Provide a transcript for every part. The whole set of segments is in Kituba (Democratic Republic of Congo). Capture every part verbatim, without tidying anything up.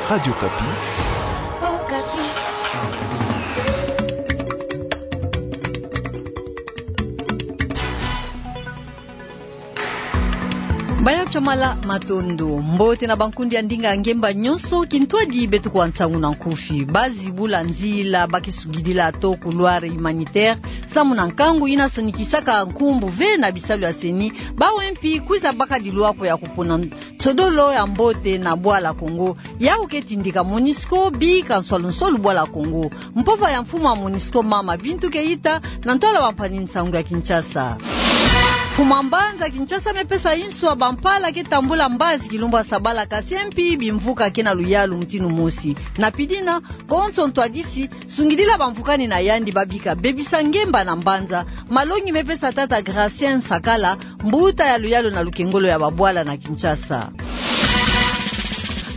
Radio Okapi. Baya Chamala, matondo. Mbote na bankundi ya ndinga ngemba nyonso. Kintwadi beto kuwa nsangu na nkufi. Bazi bula nzila bakisungidila to couloir humanitaire samu na nkangu yina sonikisaka nkumbu ve na bisalu ya CENI, bawu mpi kwiza baka dilwako ya kupona nsodolo ya mbote na bwala Kongo. Yawu ke tindika MONUSCO bika nswalu nswalu bwala Kongo. Mpova ya mfumu ya MONUSCO mama Bintou Keita na ntwala bampangi nsangu ya Kinshasa. Mfumu a mbanza Kinshasa mepesa insu ya bampala ke tambula mbazi kilumbu ya sabala, kasi mpi bimvuka ke na luyalu mutindu mosi. Na pidina, konso ntwadisi sungidila bamvukani na yandi babika bebisa ngemba na mbanza. Malongi mepesa tata Gracien Sakala, mbuta ya luyalu na lukengolo ya babwala na Kinshasa.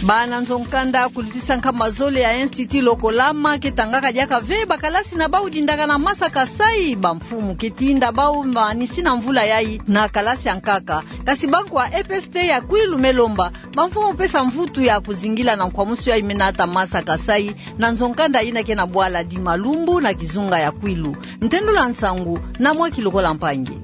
Bana nzo-nkanda kulutisa nkama zole ya Institut Lokolama ke tangaka diaka ve bakalasi na bawu dindaka na Masa Kasai. Bamfumu ke tinda bawu manisi na mvula yayi na kalasi ya nkaka. Kasi banku ya EPST ya Kwilu me lomba bamfumu pesa mvutu ya kuzingila na nkwamusu yayi me nata Masa Kasai na nzo-nkanda yina ke na bwala Dima Lumbu na kizunga ya Kwilu. Ntendula nsangu na Mwaki Lokola Mpangi.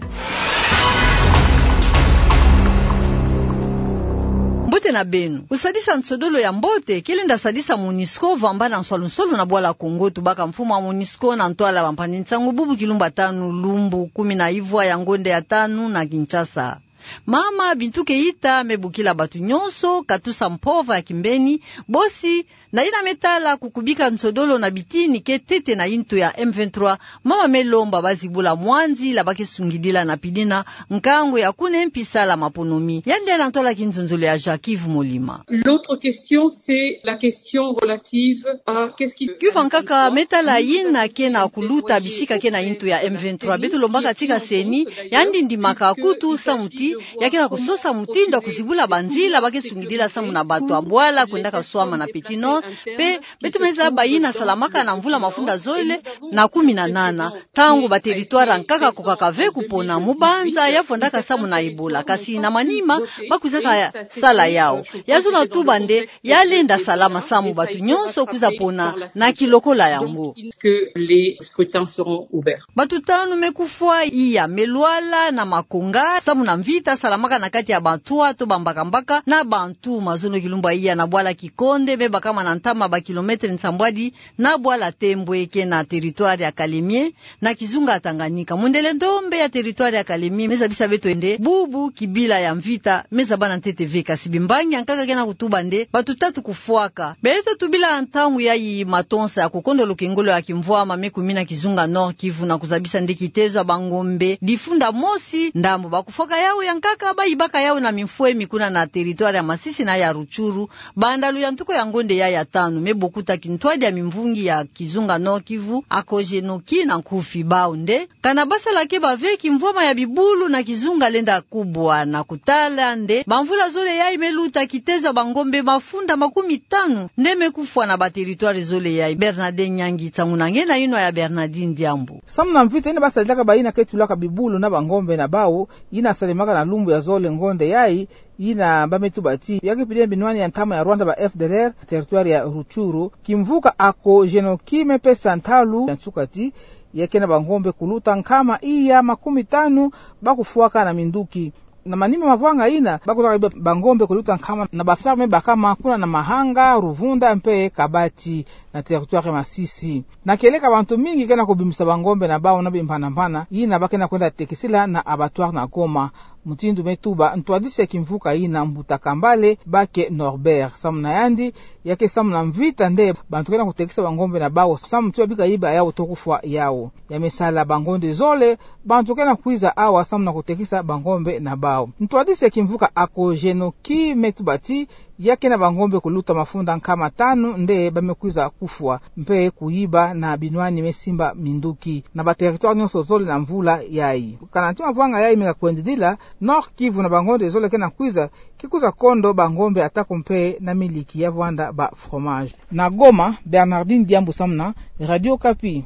Mbote na beno. Kusadisa nsodolo ya mbote ke lenda sadisa MONUSCO vwamba na nswalu nswalu na bwala Kongo, tubaka mfumu a MONUSCO na ntwala bampangi nsangu bubu kilumbu ya tanu, lumbu kumi na ivwa ya ngonde ya tanu na Kinshasa. Mama Bintou Keita me bokila bato nyonso, katusa mpova ya kimbeni, bosi na yina me tala kukubika nsodolo na bitini ke ntete na yintu ya M vingt-trois, mama me lomba bazi bula mwa nzila bake sungidila na pidina nkangu ya kuna mpi sala maponomi. Yandi na ntwala kinzonzolo ya Jacques Yves Molima. L'autre question, c'est la question relative à qu'est-ce qui... Kiuvu ya nkaka me tala yina ke na kuluta bisika ke na yintu ya M vingt-trois. Beto lombaka tika CENI, yandi ndimaka kutu samu ti ya ke na kusosa mutindu ya kuzibula banzila bake sungidila samu na bato ya bwala kwendaka swama na Petit Nord, mpe beto me zaba yina salamaka na mvula mafunda zole na kumi na nana, ntangu ba territoire ya nkaka kokaka ve kupona, mubanza ya vwandaka samu na Ebola, kasi na manima ba kwizaka sala yawu. Ya zona tuba nde ya lenda salama samu bato nyonso kwiza pona na kilokola yango. Que les scrutins seront ouverts. Bato tanu me kufwa, iya me lwala na makonga samu na mvita salamaka na kati ya bantwatu, bambakambaka na bantu. Mazono kilumbu ya iya na bwala Kikonde me bakama na ntama ba kilomètre nsambwadi na bwala Tembwe ke na territoire ya Kalemie, na kizunga Tanganyika. Mundele ndombe ya territoire ya Kalemie me zabisa beto nde bubu kibila ya mvita me zaba na ntete ve, kasi bimbangi ya nkaka ke na kutuba nde bato tatu kufwaka. Beto tubila ntangu yayi matonsa ya kukondo lukengolo ya kimvwama me kumina kizunga Nord-Kivu na kuzabisa nde kitezo ya bangombe difunda mosi ndambu. Ba kufwaka yawu ya nkaka bayibaka yawu na mimfwemi kuna na territoire ya Masisi na ya Rutshuru, banda luyantuku ya ngonde yayi ya tanu me bokuta kintwadi ya mimvungi ya kizunga Nord-Kivu, Acogenoki na nkufi. Bawu nde kana basala ke bave kimvwama ya bibulu na kizunga lenda kubwa. Na kutala nde bamvula zole yayi me luta, kitezo ya bangombe mafunda makumi tanu nde me kufwa na ba territoire zole yayi. Bernadette Nyangi, nsangu na nge na yinwa ya Bernardine Diambu. Samu na mvita yina basalelaka bayina ke tulaka bibulu na bangombe na bawu, yina salemaka na lumbu ya zole ngonde yayi, yina ba me tuba ti ya ke pide binwani ya ntama ya Rwanda, ba F D L R, territoire ya Rutshuru. Kimvuka Acogenoki me pesa ntalu ya nsuka ti ya ke na bangombe kuluta nkama iya makumi tanu ba kufwaka na minduki. Na manima mavwanga yina, ba kuzaka bangombe kuluta nkama na ba ferme bakama kuna na Mahanga, Ruvunda mpe Kabati, na territoire ya Masisi. Na kieleka, bantu mingi ke na kubimisa bangombe na bawu na bimpanampanama yina ba ke na kwenda tekisila na abattoir na Goma. Mutindu me tuba ntwadisi ya kimvuka yina, Mbuta Kambale Bake Norbert, samu na yandi, ya ke samu na mvita nde bantu ke na kutekisa bangombe na bawu, samu ti babika yiba yawu to kufwa yawu. Ya me sala bangonde zole bantu ke na kwiza awa samu na kutekisa bangombe na bawu. Ntwadisi ya kimvuka Acogenoki me tuba ti ya ke na bangombe kuluta mafunda nkama tanu nde ba me kwiza kufwa mpe kuyiba na binwani me simba minduki na ba territoire nyonso zole na mvula yayi. Kana ntima mavwanga yayi me ka kwendidila, Nord-Kivu na bangonde zole ke na kwiza, ke kwiza kondo bangombe atako mpe na miliki ya vwanda ba fromage. Na Goma, Bernardine Diambu samu na Radio Okapi.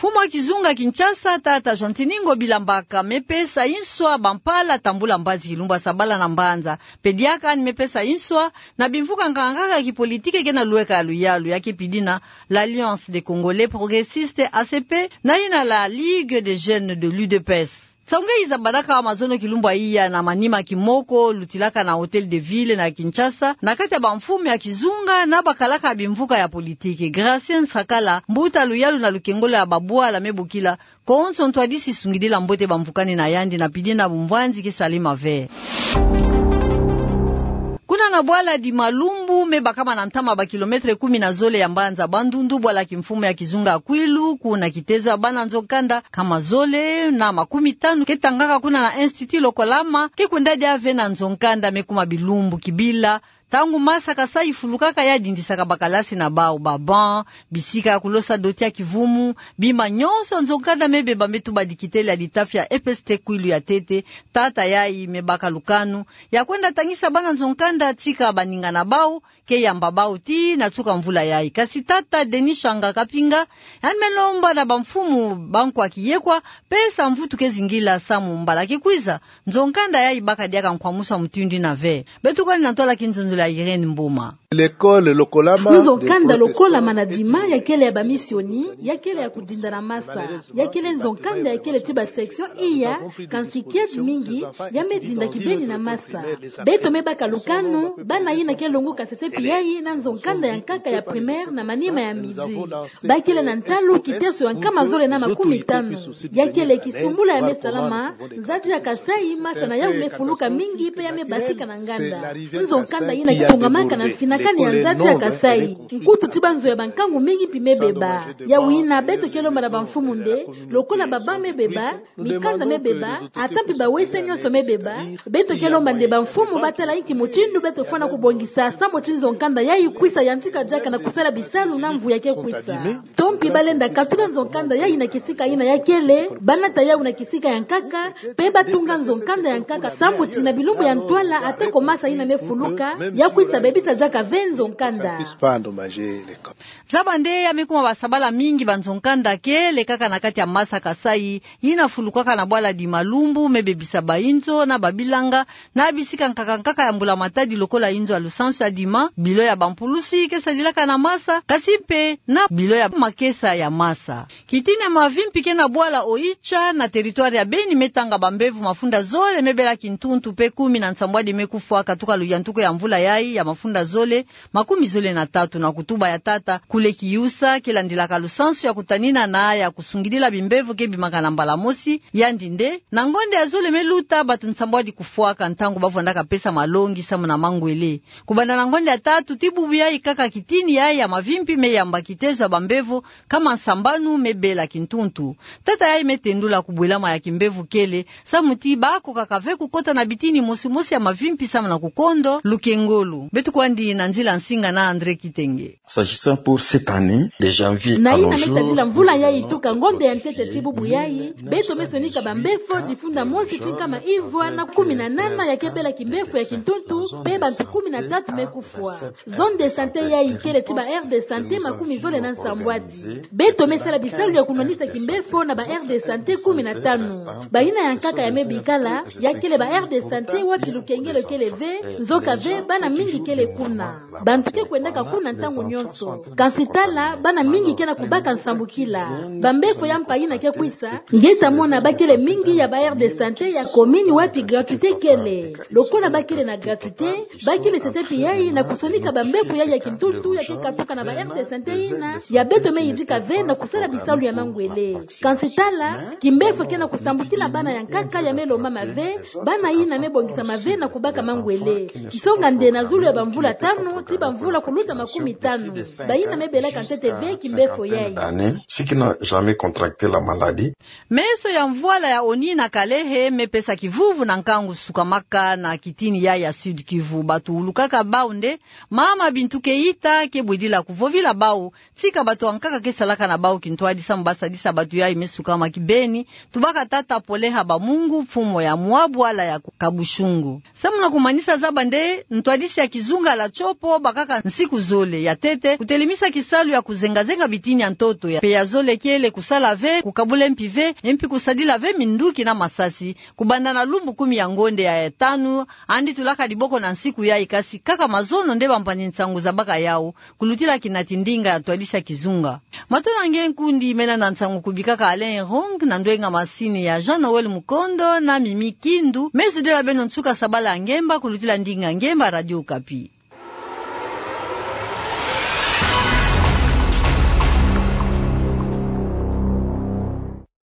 Mfumu ya kizunga Kinshasa, tata Gentiny Ngobila Mbaka, mepesa nswa bampala tambula mbazi kilumbu ya sabala na mbanza. Pe diaka ni mepesa nswa na bimvuka nkaka nkaka ya kipolitike ke na lweka ya luyalu, ya ke pidina l'Alliance des Congolais Progressistes, A C P, na yina la Ligue des Jeunes de l'U D P S. Nsangu nge iza badaka mazono kilumbu ya iya na manima ya kimoko lutilaka na Hôtel de Ville na Kinshasa, na kati ya bamfumu ya kizunga na bakalaka bimvuka ya politike. Gracien Nsakala, mbuta luyalu na lukengolo ya babwala me bokila, konso ntwadisi sungidila mbote bamvukani na yandi na pidina bumvwanzi ke Salim Aver. Kuna na bwala Dima Lumbu, me bakama na ntama ba kilomètre kumi na zole ya mbanza Bandundu, bwala kimfumu ya kizunga Kwilu, kuna kitezo ya bana nzo-nkanda kama zole na makumi tanu ke tangaka kuna na Institut Lokolama, ke kwenda dia ve na nzo-nkanda me kuma bilumbu kibila, ntangu masa Kasai ifulukaka, ya dindisaka bakalasi na bau, ba banc, bisika ya kulosa doti ya kivumu, bima nyonso nzo-nkanda me beba me tuba dikitele ya litafi ya E P S T Kwilu ya ntete. Tata yayi me baka lukanu ya kwenda tangisa bana nzo-nkanda tika baninga na bau ke yamba bau tii na nsuka mvula yayi. Kasi tata Denis Shanga Kapinga, yandi me lomba na bamfumu bankwa kiyekwa, pesa mvutu ke zingila samu mbala ke kwiza, nzo-nkanda yayi baka diaka nkwamusu ya mutindu yina ve. Beto kwani na ntwala ya kinzonzolo ya Irène Mboma. L'école Lokolama. Nzo-nkanda Lokolama na Dima, ya kele ya bamisioni, ya kele ya kudinda na masa. Ya kele nzo-nkanda ya kele ti ba section iya, kansi kiadi mingi ya me dinda kibeni na masa. Beto me baka lukanu, bana yina ke longoka sesepi yayi na nzo-nkanda ya nkaka ya primaire na manima ya midi. Ba kele na ntalu kiteso ya nkama zole na makumi tanu. Ya kele kisumbula ya me salama, nzadi ya Kasai masa na yawu me fuluka mingi pe ya me basika na nganda. Nzo-nkanda yina ke tungamaka na mfinakani ya nzadi ya Kasai. Nkutu ti banzo ya bankangu mingi mpi me beba. Yawu yina beto ke lomba na bamfumu nde, lokola ba banc me beba, mikanda me beba, ata mpi ba W C nyonso me beba, beto ke lomba nde bamfumu ba tala inki mutindu beto fwana kubongisa samu ti nzo-nkanda yayi kwisa yantika diaka na kusala bisalu na mvu ya ke kwisa. To mpi ba lenda katula nzo-nkanda yayi na kisika yina ya kele, ba nata yawu na kisika ya nkaka, pe ba tunga nzo-nkanda ya nkaka samu ti na bilumbu ya ntwala, ata ko masa yina me fuluka, ya kwisa bebisa diaka ve nzo-nkanda. Zaba nde ya me kuma basabala mingi ba nzo-nkanda ke lekaka na kati ya masa Kasai, yina fulukaka na bwala Dima Lumbu, me bebisa ba inzo na ba bilanga, na bisika nkaka nkaka ya mbula matadi lokola inzo ya lusansu ya Dima, bilo ya bampulusi ke sadilaka na masa, kasi mpe na bilo ya makesa ya masa. Kitini ya mavimpi ke na bwala Oicha na territoire ya Beni me tanga bambevo mafunda zole me bela kintuntu mpe kumi na nsambwadi me kufwa katuka luyantuku ya mvula yayi ya mafunda zole makumi zole na tatu na kutuba ya tata Kule Kiyusa, ke landilaka lusansu ya kutanina na ya kusungidila bimbevo ke bimaka na mbala mosi, yandi nde, na ngonde ya zole me luta, bato nsambwadi kufwaka ntangu ba vwandaka pesa malongi samu na mangwele. Kubanda na ngonde ya tatu ti bubu yayi kaka kitini yayi ya mavimpi me yamba kitezo ya bambevo kama nsambanu me bela kintuntu. Tata yayi me tendula kubwelama ya kimbevo kele, samu ti bakokaka ve kukota na bitini mosi mosi ya mavimpi samu na kukondo lukengolo. Beto kwandi na nzila nsinga na André Kitenge. S'agissant pour cette année, de janvier à nos jours, na yina me tadila mvula yayi tuka ngonde ya ntete ti bubu yayi, beto me sonika bambevo difunda mosi ti nkama ivwa na kumi na nana ya ke bela kimbevo ya kintuntu, mpe bantu kumi na tatu me kufwa. Zone de santé yayi kele ti ba aire de santé makumi zole na nsambwadi. Beto me sala bisalu ya kunwanisa kimbevo na ba aire de santé kumi na tanu. Bayina ya nkaka ya me bikala, ya kele ba aire de santé wapi lukengelo kele ve, nzoka ve, bana mingi kele kuna. Bantu ke kwendaka kuna ntangu nyonso. Kansi tala, bana mingi ke na kubaka nsambukila. Bambevo ya mpa yina ke kwisa, nge ta mona ba kele mingi ya ba aire de santé ya commune wapi gratuité kele. Lokola ba kele na gratuité, ba kele sesepi yayi na kusonika bambevo yayi ya kintuntu ya ke katuka na ba aire de santé yina, ya beto me yidika ve na kusala bisalu ya mangwele. Kansi tala, kimbevo ke na kusambukila bana ya nkaka ya me lombama ve, bana yina me bongisama ve na kubaka mangwele. Kisonga nde na zulu ya bamvula tanu, ti bamvula kuluta makumi tanu. Bayina me belaka ntete ve kimbevo yayi. Année, ceux qui n'ont jamais contracté la maladie. Meso ya mvwala ya ONI na Kalehe me pesa kivuvu na nkangu sukamaka na kitini yayi ya Sud-Kivu. Bato wulukaka bau nde, mama Bintu Keita ke bwedila kuvovila bau, tika bato ya nkaka ke salaka na bau kintwadi samu ba sadisa bato yayi me sukama kibeni, tubaka tata Pole Habamungu, mfumu ya mwa bwala ya Kabushungu. Samu na kumanisa zaba nde, ntwadi Twadisi ya kizunga la Tshopo bakaka nsiku zole. Ya ntete, kutelemisa kisalu ya kuzengazenga bitini ya ntoto ya, mpe ya zole kele kusala ve, kukabula mpi ve, mpi kusadila ve minduki na masasi, kubanda na lumbu kumi ya ngonde ya tanu, andi tulaka diboko na nsiku yayi. Kasi kaka mazono nde bampangi-nsangu zabaka yawu, kulutila kinati ndinga ya twadisi ya kizunga. Matondo na nge nkundi, mena na nsangu kubikaka Alain Rong, na ndwenga masini ya Jean Noël Mukondo na Mimi Kindu. Me zudila beno nsuka sabala ya ngemba kulutila ndinga ngemba Radio Okapi.